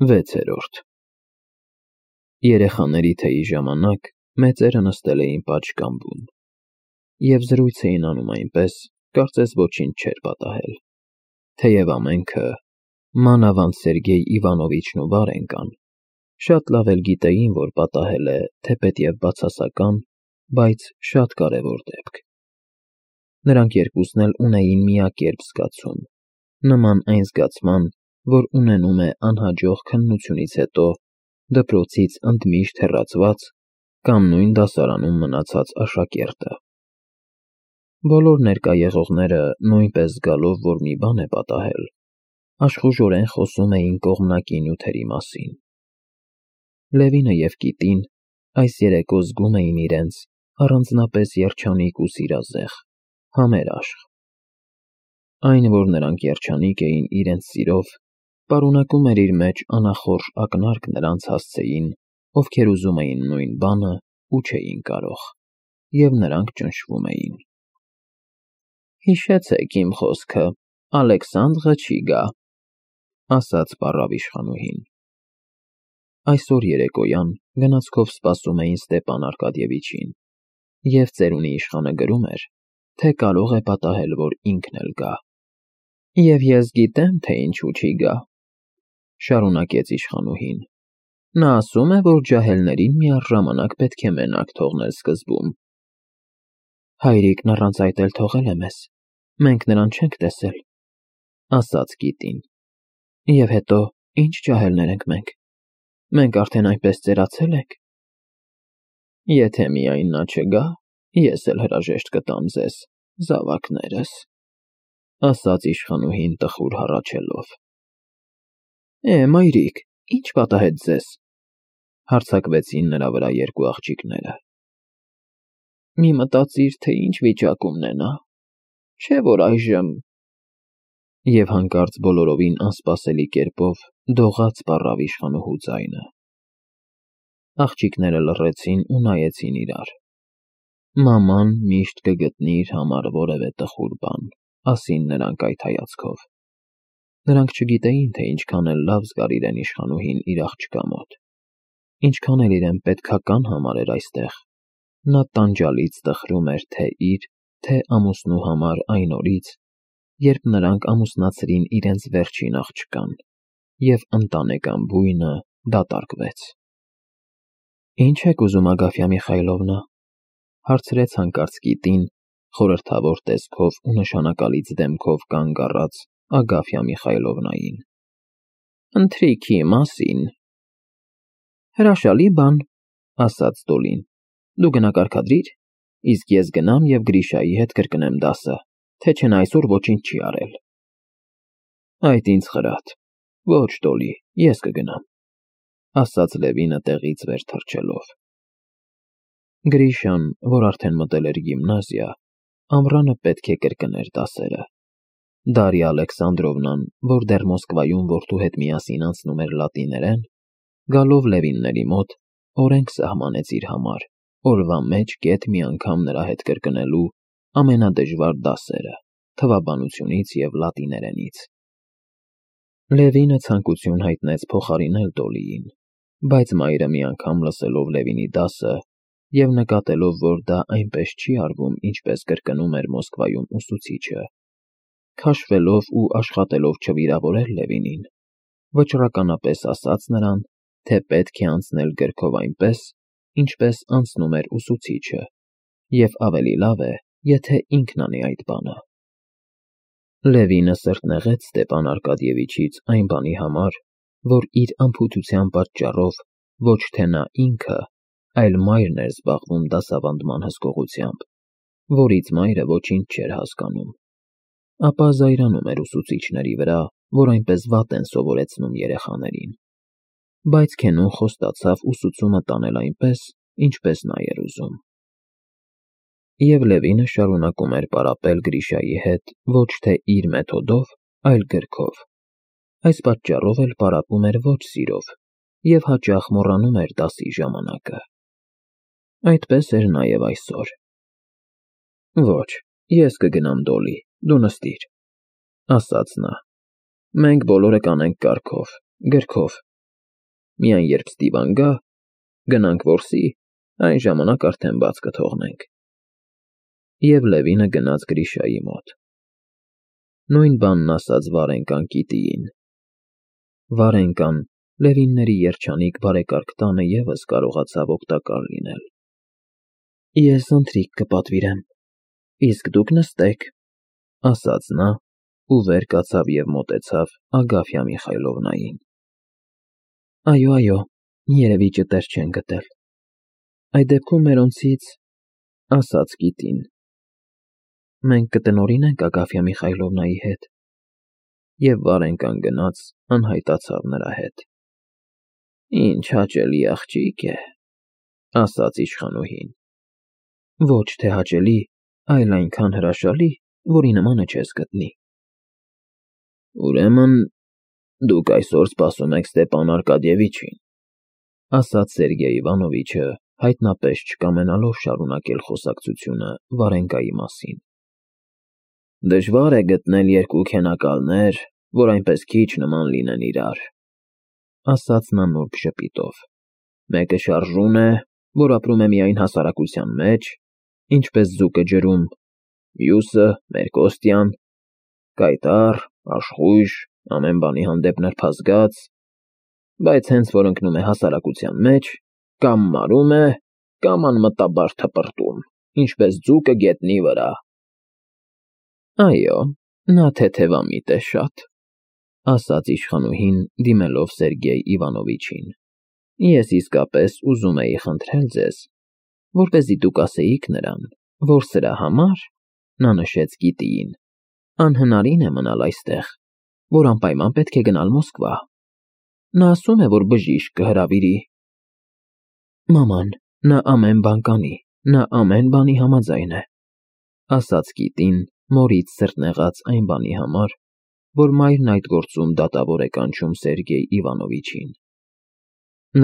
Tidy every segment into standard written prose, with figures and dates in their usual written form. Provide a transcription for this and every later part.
6-րդ Երեխաների թեյի ժամանակ մեծերը նստել էին պատշգամբում և զրույց էին անում այնպես, կարծես ոչինչ չէր պատահել, թեև ամենքը, մանավանդ Սերգեյ Իվանովիչն ու Վարենկան, շատ լավ էլ գիտեին, որ պատահել է թեպետև բացասական, բայց շատ կարևոր դեպք։ Նրանք երկուսն էլ ունեին միակերպ զգացում, նման այն զգացման, որ ունենում է անհաջող քննությունից հետո դպրոցից ընդմիշտ հեռացված կամ նույն դասարանում մնացած աշակերտը։ Բոլոր ներկա եղողները նույնպես զգալով, որ մի բան է պատահել, աշխուժորեն խոսում էին կողմնակի նյութերի մասին։ Լևինը և Կիտին այս երեկո զգում էին իրենց առանձնապես երջանիկ ու սիրազեղ, համերաշխ։ Այն, որ նրանք երջանիկ էին իրենց սիրով, պարունակում էր իր մեջ անախորժ ակնարկ նրանց հասցեին, ովքեր ուզում էին նույն բանը ու չէին կարող, և նրանք ճնշվում էին։ «Հիշեցեք իմ խոսքը, Ալեքսանդրը չի գա», ասաց պառավ իշխանուհին։ Այսօր երեկոյան գնացքով սպասում էին Ստեպան Արկադիևիչին, և ծերունի իշխանը գրում էր, թե կարող է պատահել, որ ինքն էլ գա։ «Եվ ես գիտեմ, թե ինչու չի գա», շարունակեց իշխանուհին։ «Նա ասում է, որ ջահելներին միառժամանակ պետք է մենակ թողնել սկզբում»։ «Հայրիկն առանց այդ էլ թողել է մեզ, մենք նրան չենք տեսել», ասաց Կիտին։ «Եվ հետո ինչ ջահելներ ենք մենք։ Մենք արդեն այնպես ծերացել ենք»։ «Եթե միայն նա չգա, ես էլ հրաժեշտ կտամ ձեզ, զավակներս», ասաց իշխանուհին տխուր հառաչելով։ Մայրիկ, ի՞նչ պատահեց ձեզ, հարձակվեցին նրա վրա երկու աղջիկները։ Մի մտածիր, թե ինչ վիճակումն է նա, չէ՞ որ այժմ… Եվ հանկարծ բոլորովին անսպասելի կերպով դողաց պառավ իշխանուհու ձայնը։ Աղջիկները լռեցին ու նայեցին իրար։ Մաման միշտ կգտնի իր համար որևէ տխուր բան, ասին նրանք այդ հայացքով։ Նրանք չգիտեին, թե ինչքան էլ լավ զգար իրեն իշխանուհին իր աղջկա մոտ, ինչքան էլ իրեն պետքական համարեր այստեղ։ Նա տանջալից տխրում էր թե իր, թե ամուսնու համար այն օրից, երբ նրանք ամուսնացրին իրենց վերջին աղջկան, և ընտանեկան բույնը դատարկվեց։ «Ինչ եք ուզում, Ագաֆյա Միխայլովնա», հարցրեց հանկարծ Կիտին, խորհրդավոր տեսքով ու նշանակալից դեմքով կանգ առած Ագաֆյա Միխայլովնային։ «Ընթրիքի մասին»։ «Հրաշալի բան», ասաց Դոլին։ «Դու գնա կարգադրիր, իսկ ես գնամ և Գրիշայի հետ կրկնեմ դասը, թե չէ նա այսօր ոչինչ չի արել»։ «Այդ ինձ խրատ։ Ոչ, Դոլի, ես կգնամ», ասաց Լևինը տեղից վեր թռչելով։ Գրիշան, որ արդեն մտել էր գիմնազիա, ամռանը պետք է կրկներ դասերը։ Դարիա Ալեքսանդրովնան, որ դեռ Մոսկվայում որդու հետ միասին անցնում էր լատիներեն, գալով Լևինների մոտ, օրենք սահմանեց իր համար, օրվա մեջ գեթ մի անգամ նրա հետ կրկնելու ամենադժվար դասերը թվաբանությունից և լատիներենից։ Լևինը ցանկություն հայտնեց փոխարինել Դոլիին, բայց մայրը մի անգամ լսելով Լևինի դասը և նկատելով, որ դա այնպես չի արվում, ինչպես կրկնում էր Մոսկվայում ուսուցիչը, քաշվելով ու աշխատելով չվիրավորել Լևինին, վճռականապես ասաց նրան, թե պետք է անցնել գրքով այնպես, ինչպես անցնում էր ուսուցիչը, և ավելի լավ է, եթե ինքն անի այդ բանը։ Լևինը սրտնեղեց Ստեպան Արկադիևիչից այն բանի համար, որ իր անփութության պատճառով ոչ թե նա ինքը, այլ մայրն էր զբաղվում դասավանդման հսկողությամբ, որից մայրը ոչինչ չէր հասկանում, ապա զայրանում էր ուսուցիչների վրա, որ այնպես վատ են սովորեցնում երեխաներին, բայց Քենուն խոստացավ ուսուցումը տանել այնպես, ինչպես նա էր ուզում։ Եվ Լևինը շարունակում էր պարապել Գրիշայի հետ ոչ թե իր մեթոդով, այլ գրքով։ Այս պատճառով էլ պարապում էր ոչ սիրով և հաճախ մոռանում էր դասի ժամանակը։ Այդպես էր նաև այսօր։ «Ոչ, ես կգնամ, Դոլի, դու նստիր», ասաց նա։ «Մենք բոլորը կանենք կարգով, գրքով, Միայն երբ Ստիվան գա, գնանք որսի, այն ժամանակ արդեն բաց կթողնենք։ Եվ Լևինը գնաց Գրիշայի մոտ։ Նույն բանն ասաց Վարենկան Կիտիին։ Վարենկան, Լևինների երջանիկ բարեկարգ տանը ևս կարողացավ օգտակար լինել։ Ես ընթրիք կպատվիրեմ, իսկ դուք նստեք, ասաց նա ու վեր կացավ և մոտեցավ Ագաֆյա Միխայլովնային։ Այո, երևի ճտեր չեն գտել։ Այդ դեպքում մերոնցից, ասաց Կիտին, մենք կտնօրինենք Ագաֆյա Միխայլովնայի հետ։ Եվ Վարենկան գնաց անհայտացավ նրա հետ։ Ինչ հաճելի աղջիկ է, ասաց իշխանուհին։ Ոչ թե հաճելի, այլ այնքան հրաշալի, որի նմանը չես գտնի։ Ուրեմն դուք այսօր սպասում եք Ստեպան Արկադիևիչին, ասաց Սերգեյ Իվանովիչը, հայտնապես չկամենալով շարունակել խոսակցությունը Վարենկայի մասին։ Դժվար է գտնել երկու քենակալներ, որ այնպես քիչ նման լինեն իրար, ասաց նա նուրբ ժպիտով։ Մեկը շարժուն է, որ ապրում է միայն հասարակության մեջ, ինչպես ձուկը ջրում, մյուսը մեր Կոստյան, կայտառ, աշխույժ, ամեն բանի հանդեպ նրբազգաց, բայց հենց որ ընկնում է հասարակության մեջ, կամ մարում է, կամ անմտաբար թպրտում, ինչպես ձուկը գետնի վրա։ Այո, նա թեթևամիտ է շատ, ասաց իշխանուհին, դիմելով Սերգեյ Իվանովիչին։ Ես իսկապես ուզում էի խնդրել ձեզ, որպեսզի դուք ասեիք նրան, որ սրա համար, նա նշեց Կիտիին, անհնարին է մնալ այստեղ, որ անպայման պետք է գնալ Մոսկվա։ Նա ասում է, որ բժիշկ կհրավիրի։ Մաման, նա ամեն բան կանի, նա ամեն բանի համաձայն է, ասաց Կիտին, մորից սրտնեղած այն բանի համար, որ մայրն այդ գործում դատավոր է կանչում Սերգեյ Իվանովիչին։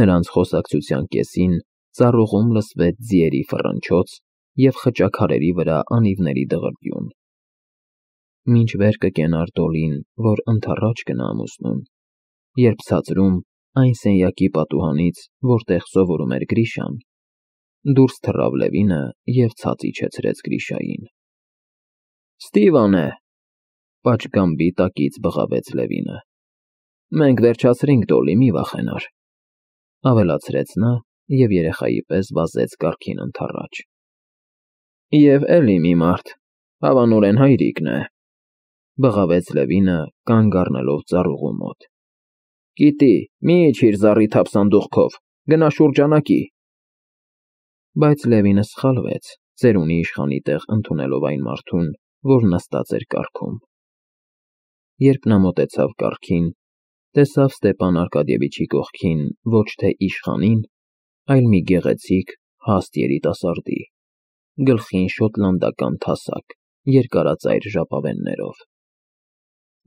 Նրանց խոսակցության կեսին ծառուղում լսվեց ձիերի ֆռնչոց և խճաքարերի վրա անիվների դղրդյուն։ Մինչ վեր կկենար Դոլին, որ ընդառաջ գնա ամուսնուն, երբ ցածրում, այն սենյակի պատուհանից, որտեղ սովորում էր Գրիշան, դուրս թռավ Լևինը և ցած իջեցրեց Գրիշային։ Ստիվան է, պատշգամբի տակից բղավեց Լևինը։ Մենք վերջացրինք, Դոլի, մի վախենար, ավելացրեց նա և երեխայի պես վազեց կառքին ընդառաջ։ Եվ էլի մի մարդ, հավանորեն հայրիկն է, բղավեց Լևինը, կանգ առնելով ծառուղու մոտ։ Կիտի, մի իջիր զառի թափ սանդուղքով, գնա շուրջանակի։ Բայց Լևինը սխալվեց, ծերունի իշխանի տեղ ընդունելով այն մարդուն, որ նստած էր կառքում։ Երբ նա մոտեցավ կառքին, տեսավ Ստեպան Արկադիևիչի կողքին ոչ թե իշխանին, այլ մի գեղեցիկ, հաստ երիտասարդի, գլխին շոտլանդական թասակ, երկարածայր ժապավեններով։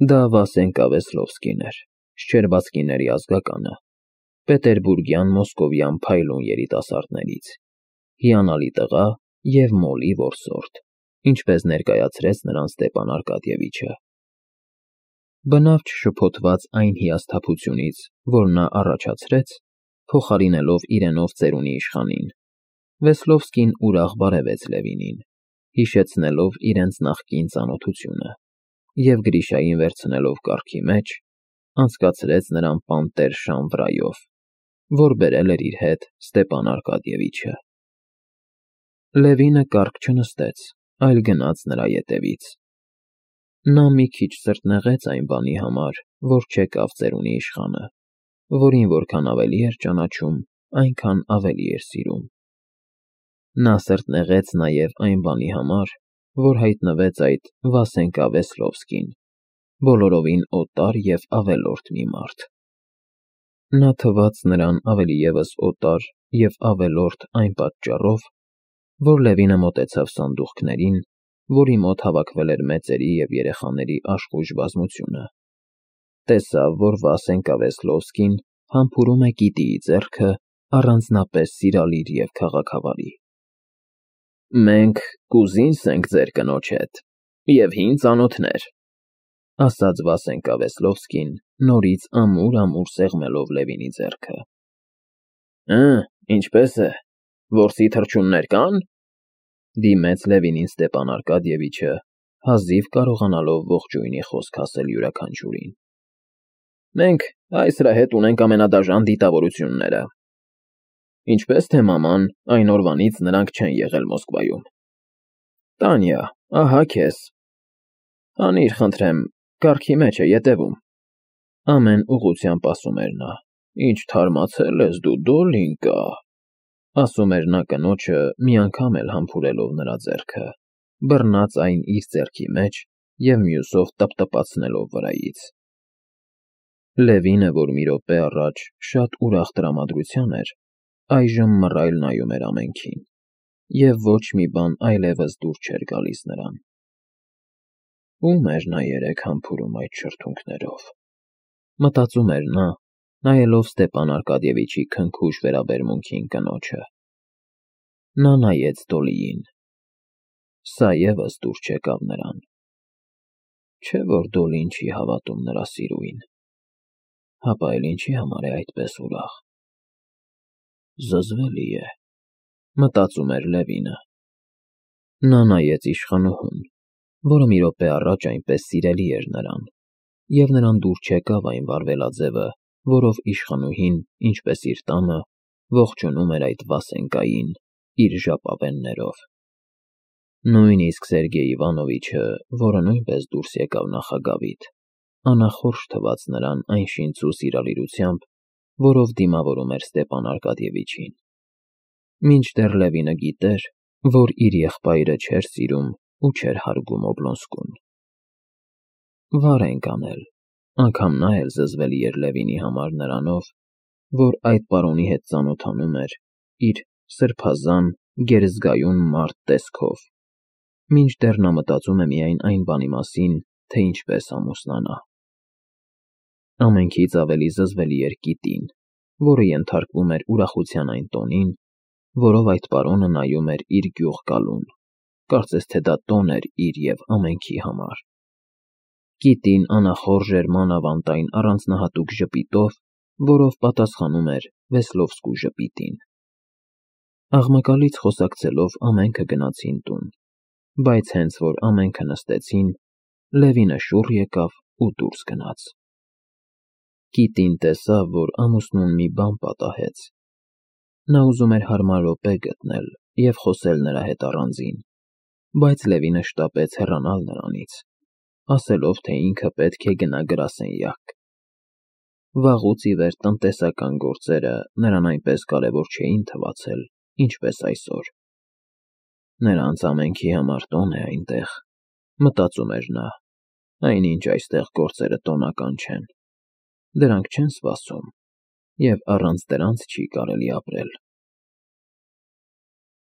Դա Վասենկա Վեսլովսկին էր, Շչերբացկիների ազգականը, պետերբուրգյան մոսկովյան փայլուն երիտասարդներից, հիանալի տղա և մոլի որսորդ, ինչպես ներկայացրեց նրան Ստեպան Արկադիևիչը։ Բնավ չշփոթված այն հիասթափությունից, որ նա առաջացրեց, փոխարինելով իրենով ծերունի իշխանին, Վեսլովսկին ուրախ բարևեց Լևինին, հիշեցնելով իրենց նախկին ծանոթությունը, և Գրիշային վերցնելով կառքի մեջ, անցկացրեց նրան պանտեր շան վրայով, որ բերել էր իր հետ Ստեպան Արկադիևիչը։ Լևինը կառք չնստեց, այլ գնաց նրա ետևից։ Նա մի քիչ սրտնեղեց այն բանի համար, որ չեկավ ծերունի իշխանը, որին որքան ավելի էր ճանաչում, այնքան ավելի էր սիրում։ Նա սրտնեղեց նաև այն բանի համար, որ հայտնվեց այդ Վասենկա Վեսլովսկին, բոլորովին օտար և ավելորդ մի մարդ։ Նա թվաց նրան ավելի ևս օտար և ավելորդ այն պատճառով, որ Լևինը մոտեցավ սանդուղքներին, որի մոտ հավաքվել էր մեծերի և երեխաների աշխույժ բազմությունը, տեսավ, որ Վասենկա Վեսլովսկին համբուրում է Կիտիի ձեռքը առանձնապես սիրալիր և քաղաքավարի։ Մենք կուզինս ենք ձեր կնոջ հետ և հին ծանոթներ, ասաց Վասենկա Վեսլովսկին, նորից ամուր-ամուր սեղմելով Լևինի ձեռքը։ Ինչպես է, որսի թռչուններ կան, դիմեց Լևինին Ստեպան Արկադիևիչը, հազիվ կարողանալով ողջույնի խոսք ասել յուրաքանչյուրին։ Մենք այս նրա հետ ունենք ամենադաժան դիտավորությունները։ Ինչպես թե մաման, այն օրվանից նրանք չեն եղել Մոսկվայում։ Տանյա, ահա քեզ։ Հանիր, խնդրեմ, կարգի մեջ է ետևում։ Ամեն ուղղությամբ ասում էր նա. Ինչ թարմացել ես դու, Դոլինկա, ասում էր նա կնոջը, մի անգամ էլ համբուրելով նրա ձեռքը, բռնած այն իր ձեռքի մեջ և մյուսով տպտպացնելով վրայից։ Լևինը, որ մի րոպե առաջ շատ ուրախ տրամադրության էր, այժմ մռայլ նայում էր ամենքին, և ոչ մի բան այլևս դուր չէր գալիս նրան։ Ո՞ւմ էր նա երեկ համբուրում այդ շրթունքներով, մտածում էր նա, նայելով Ստեպան Արկադիևիչի քնքուշ վերաբերմունքին կնոջը։ Նա նայեց Դոլիին։ Սա ևս դուր չեկավ նրան։ Չէ՞ որ Դոլին չի հավատում նրա սիրուին։ Հապա էլ ինչի համար է այդպես ուրախ։ Զզվելի է, մտածում էր Լևինը։ Նա նայեց իշխանուհուն, որը մի րոպե առաջ այնպես սիրելի էր նրան, և նրան դուր չեկավ այն վարվելաձևը, որով իշխանուհին, ինչպես իր տանը, ողջունում էր այդ Վասենկային իր ժապավեններով։ Նույնիսկ Սերգեյ Իվանովիչը, որը նույնպես դուրս եկավ նախագավիթ, անախորժ թվաց նրան այն շինծու սիրալիրությամբ, որով դիմավորում էր Ստեպան Արկադիևիչին։ Մինչդեռ Լևինը գիտեր, որ իր եղբայրը չէր սիրում ու չէր հարգում Օբլոնսկուն։ Վար ենք անել, անգամ նա էլ զզվելի էր Լևինի համար նրանով, որ այդ պարոնի հետ ծանոթանում էր իր սրբազան, գերզգայուն մարդ տեսքով, մինչդեռ նա մտածում է միայն այն բանի մասին, թե ինչպես ամուսնանա։ Ամենքից ավելի զզվելի էր Կիտին, որը ենթարկվում էր ուրախության այն տոնին, որով այդ պարոնը նայում էր իր գյուղ գալուն, կարծես թե դա տոն էր իր և ամենքի համար։ Կիտին անախորժ էր մանավանդ այն առանձնահատուկ ժպիտով, որով պատասխանում էր Վեսլովսկու ժպիտին։ Աղմկալից խոսակցելով ամենքը գնացին տուն, բայց հենց որ ամենքը նստեցին, Լևինը շուռ եկավ ու դուրս գնաց։ Կիտին տեսավ, որ ամուսնուն մի բան պատահեց։ Նա ուզում էր հարմար րոպե գտնել և խոսել նրա հետ առանձին, բայց Լևինը շտապեց հեռանալ նրանից, ասելով, թե ինքը պետք է գնա գրասենյակ։ Վաղուց ի վեր տնտեսական գործերը նրան այնպես կարևոր չէին թվացել, ինչպես այսօր։ Նրանց ամենքի համար տոն է այնտեղ, մտածում էր նա, այնինչ այստեղ գործերը տոնական չեն։ Դրանք չեն սպասում, և առանց դրանց չի կարելի ապրել։